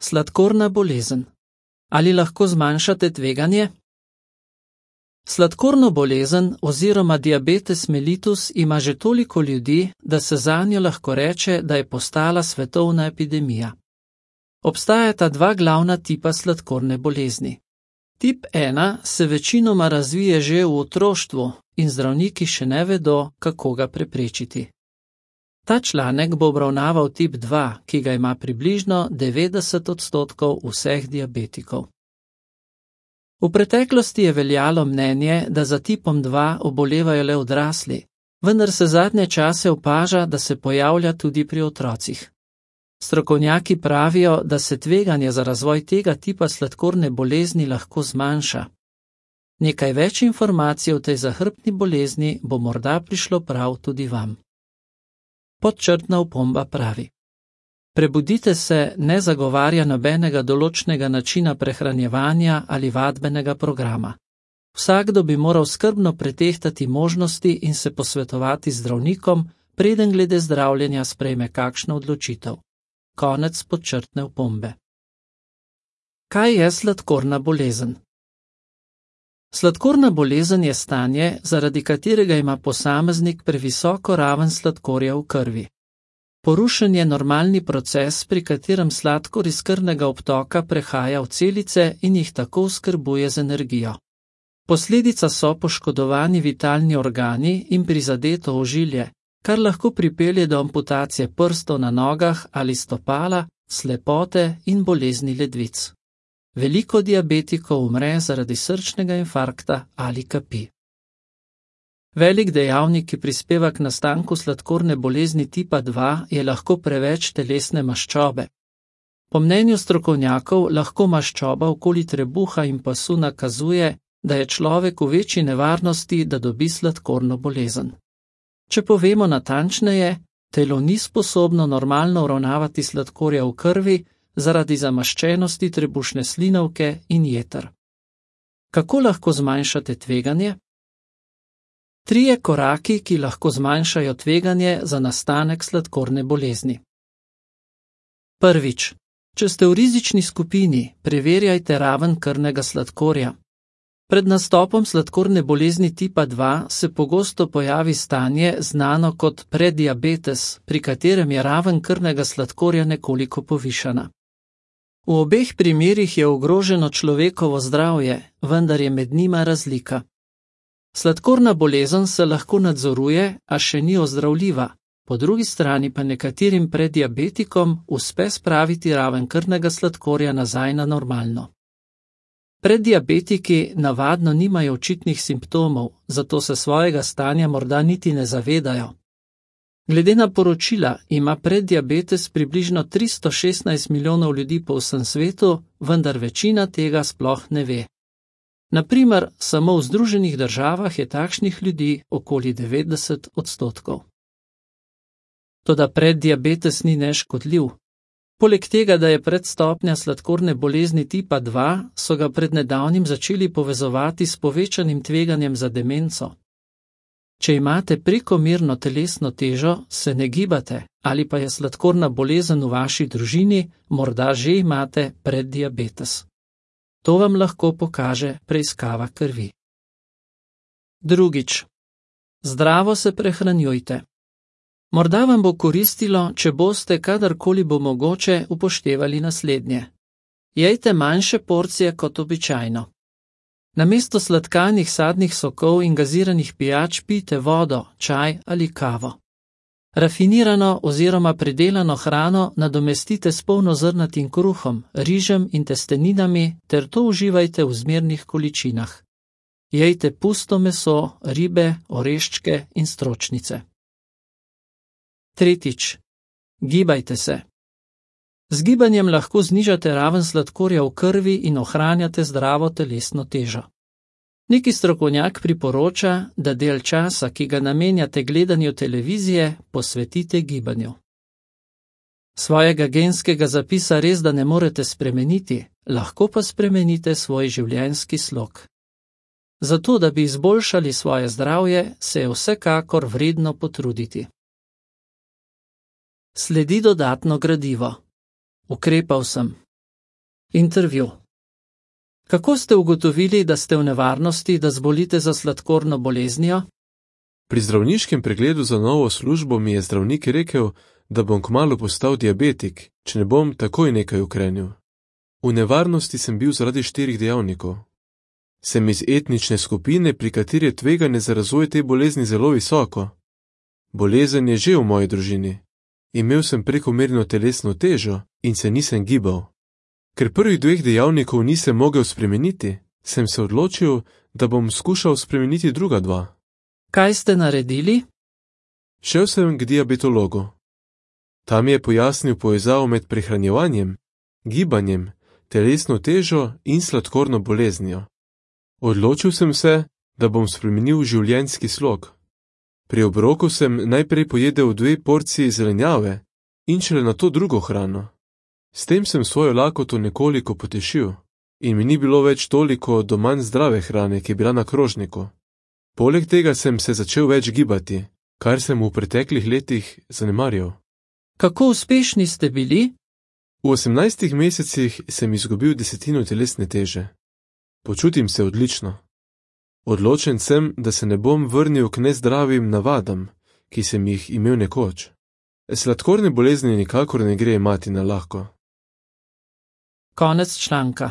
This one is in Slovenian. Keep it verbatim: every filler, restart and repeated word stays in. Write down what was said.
Sladkorna bolezen. Ali lahko zmanjšate tveganje? Sladkorno bolezen oziroma diabetes mellitus ima že toliko ljudi, da se zanjo lahko reče, da je postala svetovna epidemija. Obstajata dva glavna tipa sladkorne bolezni. Tip ena se večinoma razvije že v otroštvu in zdravniki še ne vedo, kako ga preprečiti. Ta članek bo obravnaval tip dva, ki ga ima približno devetdeset odstotkov vseh diabetikov. V preteklosti je veljalo mnenje, da za tipom dva obolevajo le odrasli, vendar se zadnje čase opaža, da se pojavlja tudi pri otrocih. Strokovnjaki pravijo, da se tveganje za razvoj tega tipa sladkorne bolezni lahko zmanjša. Nekaj več informacij o tej zahrbtni bolezni bo morda prišlo prav tudi vam. Podčrtna opomba pravi: prebudite se ne zagovarja nobenega določnega načina prehranjevanja ali vadbenega programa. Vsakdo bi moral skrbno pretehtati možnosti in se posvetovati z zdravnikom, preden glede zdravljenja sprejme kakšno odločitev. Konec podčrtne opombe. Kaj je sladkorna bolezen? Sladkorna bolezen je stanje, zaradi katerega ima posameznik previsoko raven sladkorja v krvi. Porušen je normalni proces, pri katerem sladkor iz krvnega obtoka prehaja v celice in jih tako oskrbuje z energijo. Posledica so poškodovani vitalni organi in prizadeto ožilje, kar lahko pripelje do amputacije prstov na nogah ali stopala, slepote in bolezni ledvic. Veliko diabetikov umre zaradi srčnega infarkta ali kapi. Velik dejavnik, ki prispeva k nastanku sladkorne bolezni tipa dva, je lahko preveč telesne maščobe. Po mnenju strokovnjakov lahko maščoba okoli trebuha in pasu nakazuje, da je človek v večji nevarnosti, da dobi sladkorno bolezen. Če povemo natančneje, telo ni sposobno normalno uravnavati sladkorja v krvi zaradi zamaščenosti trebušne slinavke in jeter. Kako lahko zmanjšate tveganje? Trije koraki, ki lahko zmanjšajo tveganje za nastanek sladkorne bolezni. Prvič. Če ste v rizični skupini, preverjajte raven krvnega sladkorja. Pred nastopom sladkorne bolezni tipa dva se pogosto pojavi stanje znano kot prediabetes, pri katerem je raven krvnega sladkorja nekoliko povišana. V obeh primerih je ogroženo človekovo zdravje, vendar je med njima razlika. Sladkorna bolezen se lahko nadzoruje, a še ni ozdravljiva, po drugi strani pa nekaterim prediabetikom uspe spraviti raven krvnega sladkorja nazaj na normalno. Preddiabetiki navadno nimajo očitnih simptomov, zato se svojega stanja morda niti ne zavedajo. Glede na poročila ima preddiabetes približno tristo šestnajst milijonov ljudi po vsem svetu, vendar večina tega sploh ne ve. Naprimer, samo v Združenih državah je takšnih ljudi okoli devetdeset odstotkov. Toda preddiabetes ni neškodljiv. Poleg tega, da je predstopnja sladkorne bolezni tipa dva, so ga pred nedavnim začeli povezovati s povečanim tveganjem za demenco. Če imate prekomerno telesno težo, se ne gibate, ali pa je sladkorna bolezen v vaši družini, morda že imate preddiabetes. To vam lahko pokaže preiskava krvi. Drugič. Zdravo se prehranjujte. Morda vam bo koristilo, če boste, kadarkoli bo mogoče, upoštevali naslednje. Jejte manjše porcije kot običajno. Namesto sladkanih sadnih sokov in gaziranih pijač pijte vodo, čaj ali kavo. Rafinirano oziroma predelano hrano nadomestite s polnozrnatim kruhom, rižem in testeninami ter to uživajte v zmernih količinah. Jejte pusto meso, ribe, oreščke in stročnice. Tretjič. Gibajte se. Z gibanjem lahko znižate raven sladkorja v krvi in ohranjate zdravo telesno težo. Neki strokovnjak priporoča, da del časa, ki ga namenjate gledanju televizije, posvetite gibanju. Svojega genskega zapisa res da ne morete spremeniti, lahko pa spremenite svoj življenjski slog. Zato, da bi izboljšali svoje zdravje, se je vsekakor vredno potruditi. Sledi dodatno gradivo. Ukrepal sem. Intervju. Kako ste ugotovili, da ste v nevarnosti, da zbolite za sladkorno boleznijo? Pri zdravniškem pregledu za novo službo mi je zdravnik rekel, da bom kmalu postal diabetik, če ne bom takoj nekaj ukrenil. V nevarnosti sem bil zaradi štirih dejavnikov. Sem iz etnične skupine, pri kateri je tveganje za razvoj te bolezni zelo visoko. Bolezen je že v moji družini. Imel sem prekomerno telesno težo in se nisem gibal. Ker prvih dveh dejavnikov nisem mogel spremeniti, sem se odločil, da bom skušal spremeniti druga dva. Kaj ste naredili? Šel sem k diabetologu. Tam je pojasnil povezavo med prehranjevanjem, gibanjem, telesno težo in sladkorno boleznijo. Odločil sem se, da bom spremenil življenjski slog. Pri obroku sem najprej pojedel dve porciji zelenjave in šele nato drugo hrano. S tem sem svojo lakoto nekoliko potešil in mi ni bilo več toliko do manj zdrave hrane, ki je bila na krožniku. Poleg tega sem se začel več gibati, kar sem v preteklih letih zanemarjal. Kako uspešni ste bili? V osemnajstih mesecih sem izgubil desetino telesne teže. Počutim se odlično. Odločen sem, da se ne bom vrnil k nezdravim navadam, ki sem jih imel nekoč. Sladkorne bolezni nikakor ne gre imati na lahko. Konec članka.